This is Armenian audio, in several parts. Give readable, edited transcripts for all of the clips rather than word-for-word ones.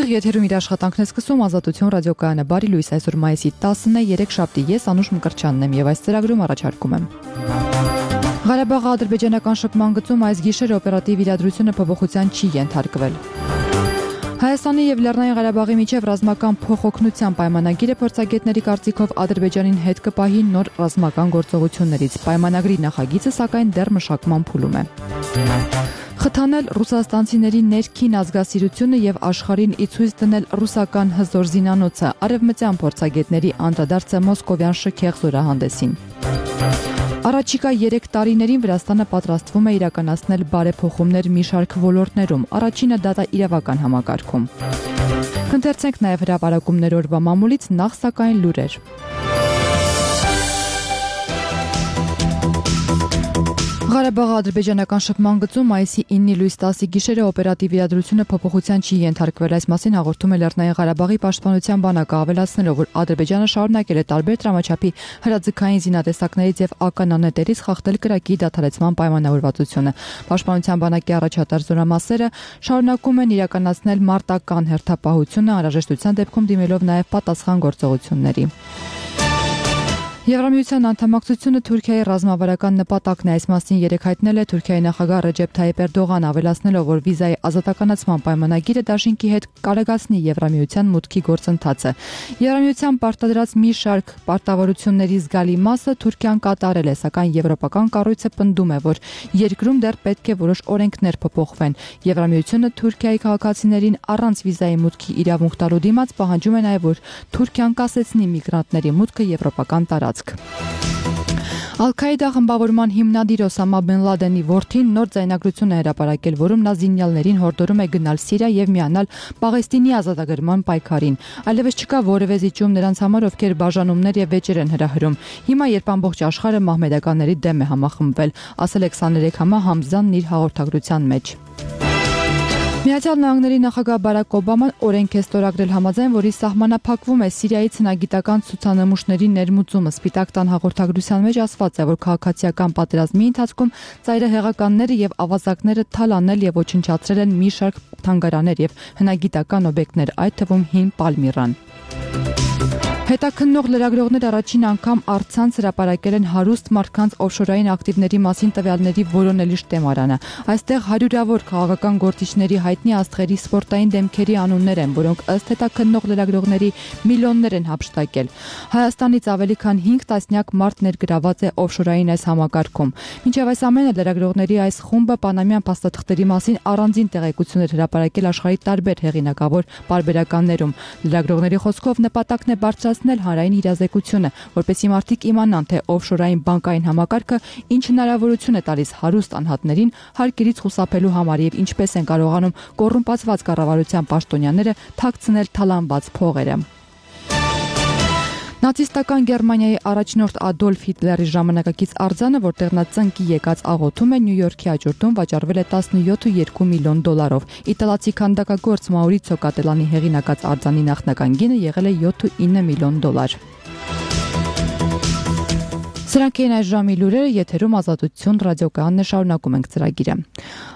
Ուղիղ եթերում իր աշխատանքն է սկսում Ազատություն ռադիոկայանը։ Բարի լույս, այսօր մայիսի 10-ն է, երեքշաբթի, ես Անուշ Մկրտչյանն եմ եւ այս ծրագրում առաջարկում եմ։ Ղարաբաղի ադրբեջանական շփման գծում այս գիշեր օպերատիվ իրադրությունը փոփոխության չի ենթարկվել։ Հայաստանի եւ Լեռնային Ղարաբաղի միջև ռազմական փոխօգնության պայմանագիրը փորձագետների կարծիքով Ադրբեջանին հետ կպահի նոր ռազմական գործողություններից։ Պայմանագրի նախագիծը սակայն դեռ մշակման փուլում է։ Խթանել ռուսաստանցիների ներքին ազգասիրությունը եւ աշխարհին ի ցույց դնել ռուսական հզոր զինանոցը, արևմտյան փորձագետների անդրադարձը մոսկովյան շքեղ զորահանդեսին։ Առաջիկա 3 տարիներին Վրաստանը պատրաստվում է իրականացնել բարեփոխումներ մի շարք ոլորտներում, առաջինը դատաիրավական համակարգում։ Կընթերցենք նաև հրապարակումներ օրվա մամուլից, նախ սակայն լուրեր։ Ղարաբաղի ադրբեջանական շփման գծում մայիսի 9-ի լույս 10-ի գիշերը օպերատիվ իրադրությունը փոփոխության չի ենթարկվել։ Այս մասին հաղորդում է Լեռնային Ղարաբաղի պաշտպանության բանակը, ավելացնելով, որ Ադրբեջանը շարունակել է տարբեր տրամաչափի հրաձգային զինատեսակներից եւ ականանետերից խախտել կրակի դադարեցման պայմանավորվածությունը։ Պաշտպանության բանակի առաջատար զորամասերը շարունակում են իրականացնել մարտական հերթապահությունը, անհրաժեշտության դեպքում դիմելով նաեւ պատասխան գործողությունների։ Եվրամիության անդամակցությունը Թուրքիայի ռազմավարական նպատակն է, այս մասին երեկ հայտնել է Թուրքիայի նախագահ Ռեջեփ Թայիփ Էրդողանը, ավելացնելով, որ վիզայի ազատականացման պայմանագիրը դաշինքի հետ կարողացնի Եվրամիության մուտքի գործընթացը։ Եվրամիության պարտադրած մի շարք պարտավորությունների զգալի մասը Թուրքիան կատարել է, սակայն եվրոպական կառույցը պնդում է, որ երկրում դեռ պետք է որոշ օրենքներ փոփոխվեն։ Եվրամիությունը Թուրքիայի քաղաքացիներին առանց վիզայի մուտքի իրավունք տալու դիմաց պահանջում է նաև, որ Թուրքիան կասեցնի միգրանտների մուտքը եվրոպական տարածք։ Ալ-Քաիդա խմբավորման հիմնադիր Օսամա Բեն Լադենի որդին նոր ձայնագրություն է հրապարակել, որում նա զինյալներին հորդորում է գնալ Սիրիա եւ միանալ Պաղեստինի ազատագրման պայքարին։ Այլևս չկա որևէ զիջում նրանց համար, ովքեր բաժանումներ եւ վեճեր են հրահրում։ Հիմա, երբ ամբողջ աշխարհը մահմեդականների դեմ է համախմբվել, ասել է 23 համա Համզանն իր հաղորդագրության մեջ։ Միացյալ Նահանգների նախագահ Բարակ Օբաման օրենք է ստորագրել համաձայն, որի սահմանափակվում է Սիրիայից հնագիտական ցուցանմուշների ներմուծումը։ Սպիտակ տան հաղորդագրության մեջ ասված է, որ քաղաքացիական պատերազմի ընթացքում ծայրահեղականները եւ ավազակները թալանել եւ ոչնչացրել են մի շարք թանգարաններ եւ հնագիտական օբյեկտներ, այդ թվում հին Պալմիրան։ Հետաքննող լրագրողներ առաջին անգամ առցանց հրապարակել են հարուստ մարդկանց օֆշորային ակտիվների մասին տվյալների որոնելի շտեմարանը։ Այստեղ հարյուրավոր քաղաքական գործիչների հայտնի աստղերի սպորտային դեմքերի անուններ են, որոնք ըստ հետաքննող լրագրողների միլիոններ են հափշտակել։ Հայաստանից ավելի քան 5 տասնյակ մարդ ներգրաված է օֆշորային այս համակարգում։ Մինչև այս ամենը լրագրողների այս խումբը պանամյան փաստաթղթերի մասին առանձին տեղեկություններ հրապարակել աշխարհի տարբեր հեղինակավոր պարբերականներում։ Լրագրողների խոսքով նպատակն է բարձրացնել հանրային իրազեկությունը, որպեսզի մարդիկ իմանան, թե օֆշորային բանկային համակարգը ինչ հնարավորություն է տալիս հարուստ անհատներին հարկերից խուսափելու համար եւ ինչպես են կարողանում կոռումպացված կառավարության պաշտոնյաները թաքցնել թալանված փողերը։ Նացիստական Գերմանիայի առաջնորդ Ադոլֆ Հիտլերի ժամանակակից արձանը, որտեղ նա ծնկի եկած աղոթում է, Նյու Յորքի աջորդում վաճառվել է 17.2 միլիոն դոլարով։ Իտալացի քանդակագործ Մաուրիցիո Կատելանի հեղինակած արձանի նախնական գինը եղել է 7.9 միլիոն դոլար։ Սրանք էին այս ժամի լուրերը, եթերում Ազատություն ռադիոկայանն է, շարունակում ենք ծրագիրը։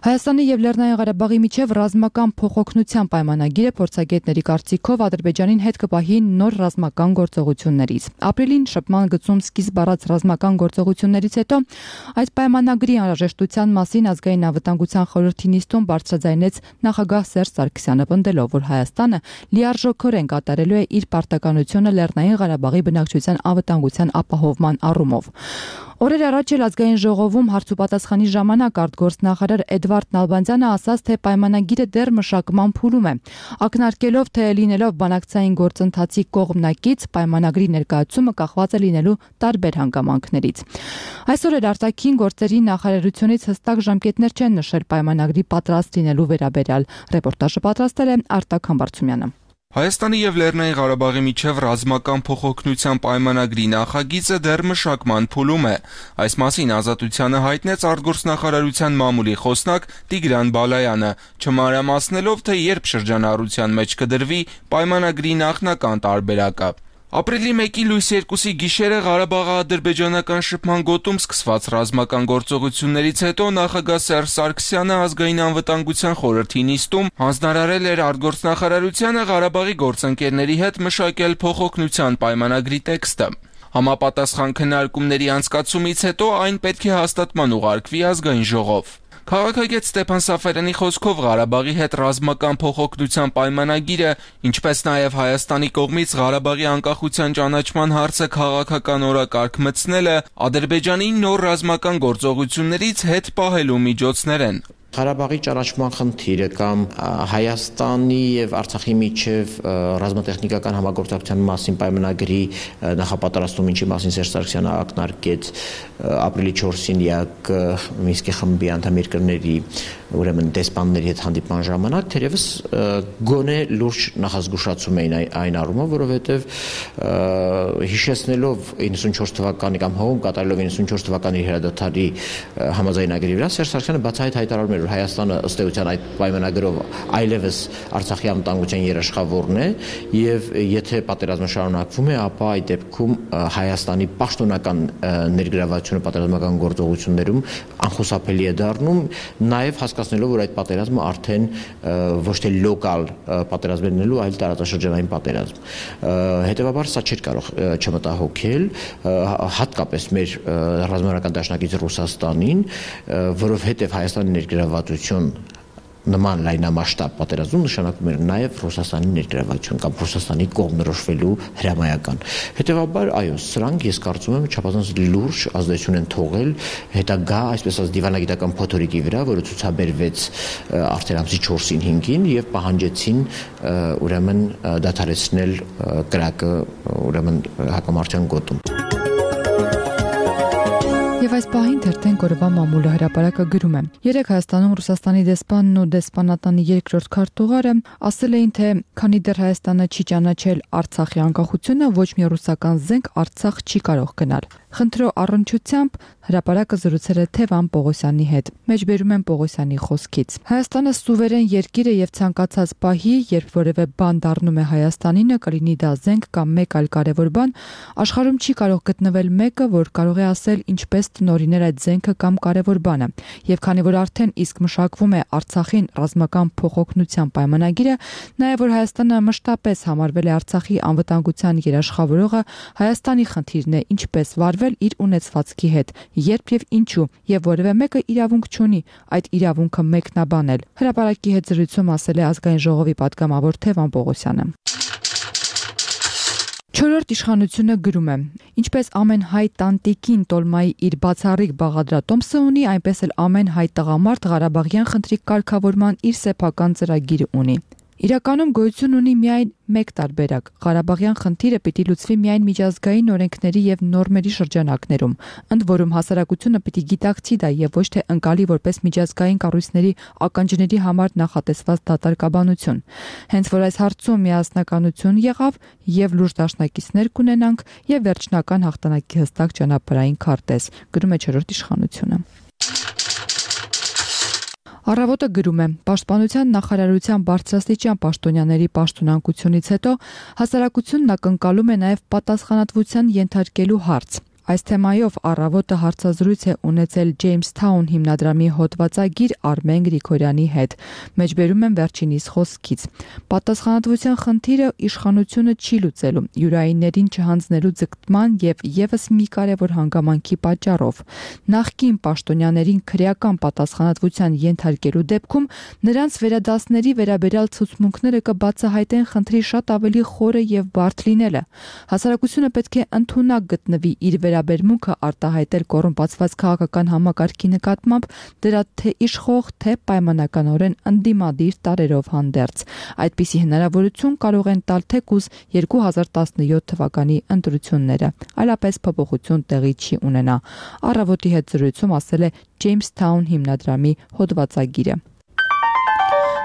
Հայաստանի եւ Լեռնային Ղարաբաղի միջև ռազմական փոխօգնության պայմանագիրը փորձագետների կարծիքով Ադրբեջանին հետ կպահի նոր ռազմական գործողություններից։ Ապրիլին շփման գծում սկիզբ առած ռազմական գործողություններից հետո այս պայմանագրի անհրաժեշտության մասին ազգային անվտանգության խորհրդի նիստում բարձրաձայնեց նախագահ Սերժ Սարգսյանը, պնդելով, որ Հայաստանը լիարժեքորեն կատարելու է իր պարտականությունը Լեռնային Ղարաբաղի բնակչության անվտանգության ապահովման առումով։ Օրեր առաջ էլ ազգային ժողովում հարցուպատասխանի ժամանակ արտգործնախարար Էդվարդ Նալբանդյանը ասաց, թե պայմանագիրը դեռ մշակման փուլում է, ակնարկելով, թե լինելով բանակցային գործընթացի կողմնակից պայմանագրի ներկայացումը կախված է լինելու տարբեր հանգամանքներից։ Այսօր էլ արտաքին գործերի նախարարությունից հստակ ժամկետներ չեն նշել պայմանագրի պատրաստ լինելու վերաբերյալ։ Ռեպորտաժը պատրաստել է Արտակ Համբարձումյանը։ Հայաստանի եւ Լեռնային Ղարաբաղի միջև ռազմական փոխօգնության պայմանագրի նախագիծը դեռ մշակման փուլում է։ Այս մասին Ազատությանը հայտնեց արտգործնախարարության մամուլի խոսնակ Տիգրան Բալայանը, չմանրամասնելով, թե երբ շրջանառության մեջ կդրվի պայմանագրի նախնական տարբերակը։ Ապրիլի 1-ի լույս 2-ի գիշերը Ղարաբաղի ադրբեջանական շփման գոտում սկսված ռազմական գործողություններից հետո նախագահ Սերժ Սարգսյանը ազգային անվտանգության խորհրդի նիստում հանձնարարել էր արտգործնախարարությանը Ղարաբաղի գործընկերների հետ մշակել փոխօգնության պայմանագրի տեքստը։ Համապատասխան քննարկումների անցկացումից հետո այն պետք է հաստատման ուղարկվի ազգային ժողով։ Քաղաքագետ Ստեփան Սաֆարյանի խոսքով Ղարաբաղի հետ ռազմական փոխօգնության պայմանագիրը, ինչպես նաև Հայաստանի կողմից Ղարաբաղի անկախության ճանաչման հարցը քաղաքական օրակարգ մտցնելը Ադրբեջանի նոր ռազմական գործողություններից հետ պահելու միջոցներ են։ Ղարաբաղի ճանաչման խնդիրը կամ Հայաստանի եւ Արցախի միջև ռազմատեխնիկական համագործակցության մասին պայմանագրի նախապատրաստում, ինչի մասին Սերժ Սարգսյանը ակնարկեց ապրիլի 4-ին ԵԱԿ Մինսկի խմբի անդամ երկրների ուրեմն դեսպանների հետ հանդիպման ժամանակ թերևս գոնե լուրջ նախազգուշացում էին այն առումով, որովհետեւ հիշեցնելով 94 թվականի կամ հողում կատարելով 94 թվականի հրադադարի համաձայնագրի վրա Սերժ Սարգսյանը բացահայտ հայտարարում էր, որ Հայաստանը ըստ էության այդ պայմանագրով այլևս Արցախի անվտանգության երաշխավորն է եւ եթե պատերազմը շարունակվում է, ապա այդ դեպքում Հայաստանի պաշտոնական ներգրավվածությունը պատերազմական գործողություններում անխուսափելի է դառնում, նաեւ հասկացնելով, որ այդ պատերազմը արդեն ոչ թե լոկալ պատերազմ է լինելու, այլ տարածաշրջանային պատերազմ։ Հետևաբար սա չէր կարող չմտահոգել հատկապես մեր ռազմավարական դաշնակից Ռուսաստանին, որովհետև Հայաստանի ներգրավվածություն նման լայնամասշտաբ պատերազմում նշանակում էր նաև Ռուսաստանի ներգրավվածություն կամ Ռուսաստանի կողմնորոշվելու հրամայական։ Հետևաբար, այո, սրանք ես կարծում եմ չափազանց լուրջ ազդեցություն են թողել հետագա, այսպես ասած, դիվանագիտական փոթորիկի վրա, որը ցուցաբերվեց արդեն ամսի 4-ին 5-ին եւ պահանջեցին ուրեմն դադարեցնել կրակը ուրեմն հակամարտության գոտում։ Եվ այս պահին թերթենք օրվա մամուլը հրապարակը գրում է. Երեք Հայաստանում Ռուսաստանի դեսպանն ու դեսպանատանի երկրորդ քարտուղարը ասել էին, թե քանի դեռ Հայաստանը չի ճանաչել Արցախի անկախությունը, ոչ մի ռուսական զենք Արցախ չի կարող գնալ։ Խնդրո առնչությամբ հրապարակը զրուցել է Թևան Պողոսյանի հետ։ Մեջբերում են Պողոսյանի խոսքից. Հայաստանը սուվերեն երկիր է եւ ցանկացած պահի, երբ որևէ բան դառնում է Հայաստանինը, կլինի դա զենք կամ մեկ այլ կարևոր բան, աշխարհում չի կարող գտնվել մեկը, որ կարող է ասել ինչպես տնօրիներ այդ զենքը կամ կարևոր բանը։ Եվ քանի որ արդեն իսկ մշակվում է Արցախին ռազմական փոխօգնության պայմանագիրը, նաեւ որ Հայաստանը մշտապես համարվել է Արցախի անվտանգության երաշխավորողը, Հայաստանի խնդիրն է ինչպես վարվել իր ունեցվածքի հետ, երբ եւ ինչու, եւ որևէ մեկը իրավունք չունի այդ իրավունքը մեկնաբանել։ Հրապարակի հետ զրույցում ասել է ազգային ժողովի պատգամավոր Թևան Պողոսյանը։ Չորրորդ իշխանությունը գրում է. Ինչպես ամեն հայ տանտիկին Տոլմայի իր բացառիկ բաղադրատոմսը ունի, այնպես էլ ամեն հայ տղամարդ Ղարաբաղյան խնդրի կարգավորման իր սեփական ծրագիրը ունի։ Իրականում գոյություն ունի միայն մեկ տարբերակ. Ղարաբաղյան խնդիրը պիտի լուծվի միայն միջազգային օրենքների եւ նորմերի շրջանակներում, ընդ որում հասարակությունը պիտի գիտակցի դա եւ ոչ թե ընկալի որպես միջազգային կառույցների ականջների համար նախատեսված դատարկաբանություն։ Հենց որ այս հարցում միասնականություն եղավ եւ լուրջ դաշնակիցներ կունենանք եւ վերջնական հաղթանակի հստակ ճանապարհային քարտեզ, գրում է չորրորդ իշխանությունը։ Առավոտը գրում է. Պաշտպանության նախարարության բարձրաստիճան պաշտոնյաների պաշտոնանկությունից հետո հասարակությունն ակնկալում է նաև պատասխանատվության ենթարկելու հարց։ Այս թեմայով Առավոտը հարցազրույց է ունեցել Ջեյմսթաուն հիմնադրամի հոդվածագիր Արմեն Գրիգորյանի հետ։ Մեջբերում են վերջինիս խոսքից. Պատասխանատվության խնդիրը իշխանությունը չի լուծելու յուրայիններին չհանձնելու ձգտման եւ եւս մի կարեւոր հանգամանքի պատճառով։ Նախկին պաշտոնյաներին քրեական պատասխանատվության ենթարկելու դեպքում նրանց վերադասների վերաբերյալ ցուցմունքները կբացահայտեն խնդրի շատ ավելի խորը եւ բարդ լինելը։ Հասարակությունը պետք է ընդունակ գտնվի իր վերաբերմունքը արտահայտել կոռումպացված քաղաքական համակարգի նկատմամբ դրա թե իշխող, թե պայմանականորեն ընդդիմադիր տարերով հանդերձ։ Այդպիսի հնարավորություն կարող են տալ թեկուզ 2017 թվականի ընտրությունները, այլապես փոփոխություն տեղի չի ունենա։ Առավոտի հետ զրույցում ասել է Ջեյմսթաուն հիմնադրամի հոդվածագիրը։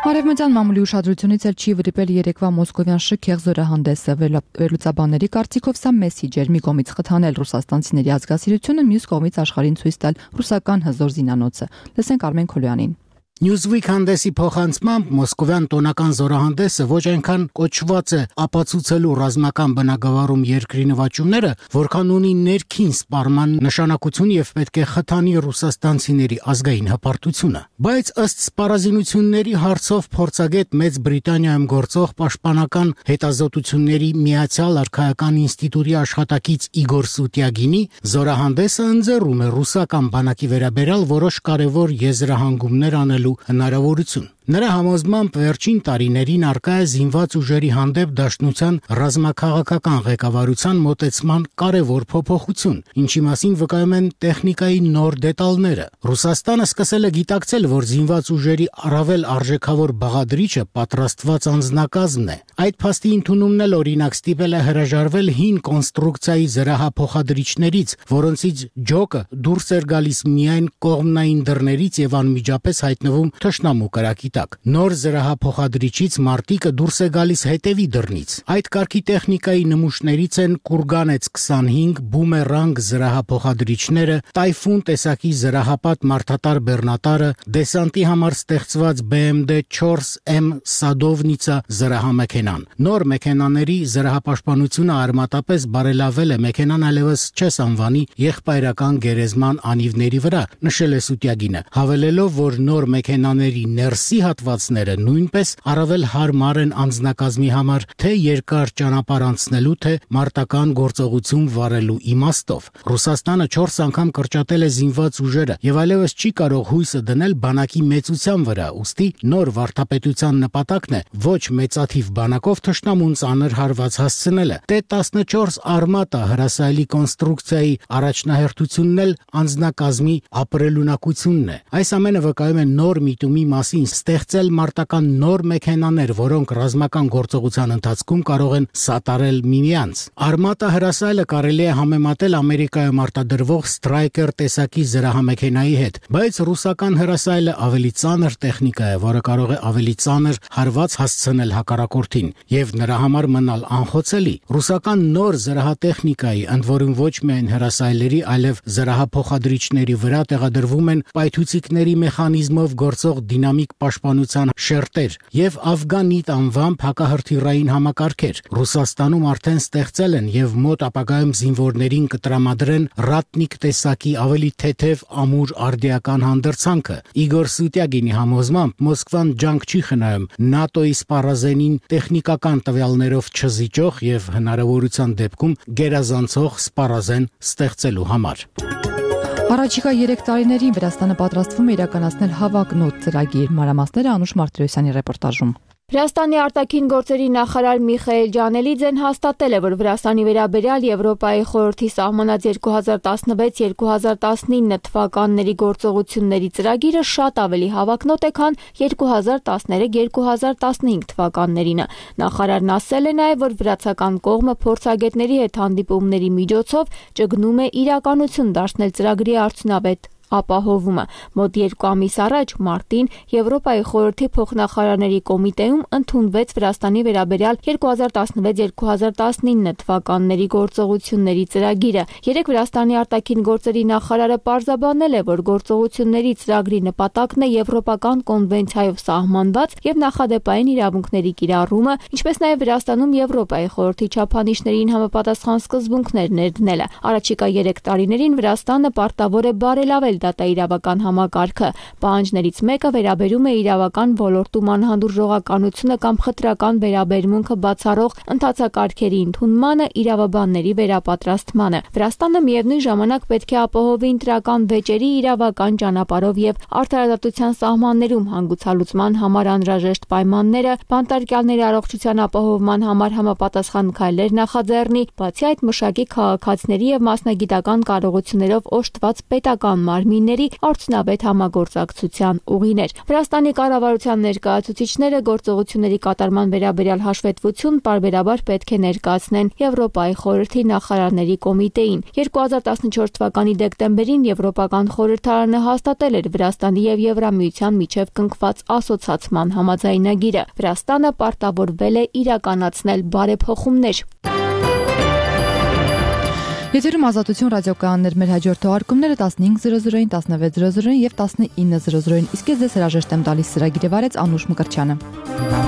Արևմտյան մամուլի ուշադրությունից էլ չի վրիպել երեկվա մոսկովյան շքեղ զորահանդեսը։ Վերլուծաբանների կարծիքով սա մեսիջ էր՝ մի կողմից խթանել ռուսաստանցիների ազգասիրությունը, մյուս կողմից աշխարհին ցույց տալ ռուսական հզոր զինանոցը։ Լսենք Արմեն Քոլյանին։ Newsweek հանդեսի փոխանցմամբ մոսկովյան տոնական զորահանդեսը ոչ այնքան կոչված է ապացուցելու ռազմական բնագավառում երկրի նվաճումները, որքան ունի ներքին սպառման նշանակություն եւ պետք է խթանի ռուսաստանցիների ազգային հպարտությունը։ Բայց ըստ սպառազինությունների հարցով փորձագետ Մեծ Բրիտանիայում գործող պաշտպանական հետազոտությունների Միացյալ Արքայական ինստիտուտի աշխատակից Իգոր Սուտյագինի զորահանդեսը ընձեռում է ռուսական բանակի վերաբերյալ որոշ կարևոր եզրահանգումներ անել հնարավորություն։ Նրա համոզմամբ վերջին տարիներին արկա է զինված ուժերի հանդեպ դաշնության ռազմաքաղաքական ղեկավարության մոտեցման կարևոր փոփոխություն, ինչի մասին վկայում են տեխնիկայի նոր դետալները։ Ռուսաստանը սկսել է գիտակցել, որ զինված ուժերի առավել արժեքավոր բաղադրիչը պատրաստված անձնակազմն է։ Այդ փաստի ընդունումն էլ օրինակ ստիպել է հրաժարվել հին կոնստրուկցիայի զրահափոխադրիչներից, որոնցից ջոկը դուրս էր գալիս միայն կողմնային դռներից եւ անմիջապես հայտնվում թշնամու կրակի տակ։ Նոր զրահափոխադրիչից մարտիկը դուրս է գալիս հետևի դռնից։ Այդ կարգի տեխնիկայի նմուշներից են Կուրգանեց 25 բումերանգ զրահափոխադրիչները, Տայֆուն տեսակի զրահապատ մարդատար բեռնատարը, դեսանտի համար ստեղծված BMD 4M Սադովնիցա զրահամեքենան։ Նոր մեքենաների զրահապաշտպանությունը արմատապես բարելավել է մեքենան այլևս չես անվանի եղբայրական գերեզման անիվների վրա, նշել է Սուտյագինը, հավելելով, որ նոր մեքենաների ներսի հատվածները նույնպես առավել հարմար են անձնակազմի համար, թե երկար ճանապարհ անցնելու, թե մարտական գործողություն վարելու իմաստով։ Ռուսաստանը 4 անգամ կրճատել է զինված ուժերը եւ այլևս չի կարող հույսը դնել բանակի մեծության վրա, ուստի նոր վարդապետության նպատակն է ոչ մեծաթիվ բանակով թշնամուն ծանր հարված հասցնելը։ T-14 արմատա հրասայլի կոնստրուկցիայի առաջնահերթությունն էլ անձնակազմի ապրելունակությունն է։ Այս ամենը վկայում է նոր միտումի մասին ստեղծել մարտական նոր մեքենաներ, որոնք ռազմական գործողության ընթացքում կարող են սատարել միմյանց։ Արմատա հրասայլը կարելի է համեմատել Ամերիկայում արտադրվող Striker տեսակի զրահամեքենայի հետ, բայց ռուսական հրասայլը ավելի ծանր տեխնիկա է, որը կարող է ավելի ծանր հարված հասցնել հակառակորդին եւ նրա համար մնալ անխոցելի։ Ռուսական նոր զրահատեխնիկայի, ընդ որում ոչ միայն հրասայլերի, այլև զրահափոխադրիչների վրա տեղադրվում են պայթուցիկների մեխանիզմով գործող դինամիկ պաշտպանության շերտեր եւ Աֆգանիտ անվամբ հակահրթիռային համակարգեր։ Ռուսաստանում արդեն ստեղծել են եւ մոտ ապագայում զինվորներին կտրամադրեն Ռատնիկ տեսակի ավելի թեթև ամուր արդիական հանդրձանքը։ Իգոր Սուտյագինի համոզմամբ Մոսկվան ջանք չի խնայում ՆԱՏՕ-ի սպառազենին տեխնիկական տվյալներով չզիջող եւ հնարավորության դեպքում գերազանցող սպառազեն ստեղծելու համար։ Առաջիկա 3 տարիներին Վրաստանը պատրաստվում է իրականացնել հավակնոտ ծրագիր։ Մանրամասները Անուշ Մարտիրոսյանի ռեպորտաժում։ Վրաստանի արտաքին գործերի նախարար Միխայել Ջանելիձեն հաստատել է, որ Վրաստանի վերաբերյալ Եվրոպայի խորհրդի սահմանած 2016-2019 թվականների գործողությունների ծրագիրը շատ ավելի հավակնոտ է, քան 2013-2015 թվականներինը։ Նախարարն ասել է նաև, որ վրացական կողմը փորձագետների հետ հանդիպումների միջոցով ճգնում է իրականություն դարձնել ծրագրի արդյունավետ ապահովումը։ Մոտ 2 ամիս առաջ մարտին Եվրոպայի խորհրդի փոխնախարարների կոմիտեում ընդունվեց Վրաստանի վերաբերյալ 2016-2019 թվականների գործողությունների ծրագիրը։ Երեք Վրաստանի արտաքին գործերի նախարարը պարզաբանել է, որ գործողությունների ծրագրի նպատակն է եվրոպական կոնվենցիայով սահմանված եւ նախադեպային իրավունքների կիրառումը, ինչպես նաեւ Վրաստանում Եվրոպայի խորհրդի չափանիշներին համապատասխան սկզբունքներ ներդնելը։ Առաջիկա 3 տարիներին Վրաստանը պարտավոր է բարելավել դատաիրավական համակարգը։ Պահանջներից մեկը վերաբերում է իրավական ոլորտում անհանդուրժողականությունը կամ խտրական վերաբերմունքը բացառող ընթացակարգերի ընդունմանը, իրավաբանների վերապատրաստմանը։ Վրաստանը միևնույն ժամանակ պետք է ապահովի ընտրական վեճերի իրավական ճանապարհով եւ արդարադատության սահմաններում հանգուցալուծման համար անհրաժեշտ պայմանները, բանտարկյալների առողջության ապահովման համար համապատասխան քայլեր նախաձեռնի, բացի այդ մշակի քաղաքացիների եւ մասնագիտական կարողություններով օժտված պետական մարմինների արդյունավետ համագործակցության ուղիներ։ Վրաստանի կառավարության ներկայացուցիչները գործողությունների կատարման վերաբերյալ հաշվետվություն պարբերաբար պետք է ներկայացնեն Եվրոպայի խորհրդի նախարարների կոմիտեին։ 2014 թվականի դեկտեմբերին Եվրոպական խորհրդարանը հաստատել էր Վրաստանի եւ Եվրամիության միջև կնքված ասոցացման համաձայնագիրը։ Վրաստանը պարտավորվել է իրականացնել բարեփոխումներ։ Եթերում Ազատություն ռադիոկայաններ, մեր հաջորդ թողարկումները 15:00-ին, 16:00-ին եւ 19:00-ին։ Իսկ ես ձեզ հրաժեշտ եմ տալիս, ծրագիրը վարեց Անուշ Մկրտչյանը։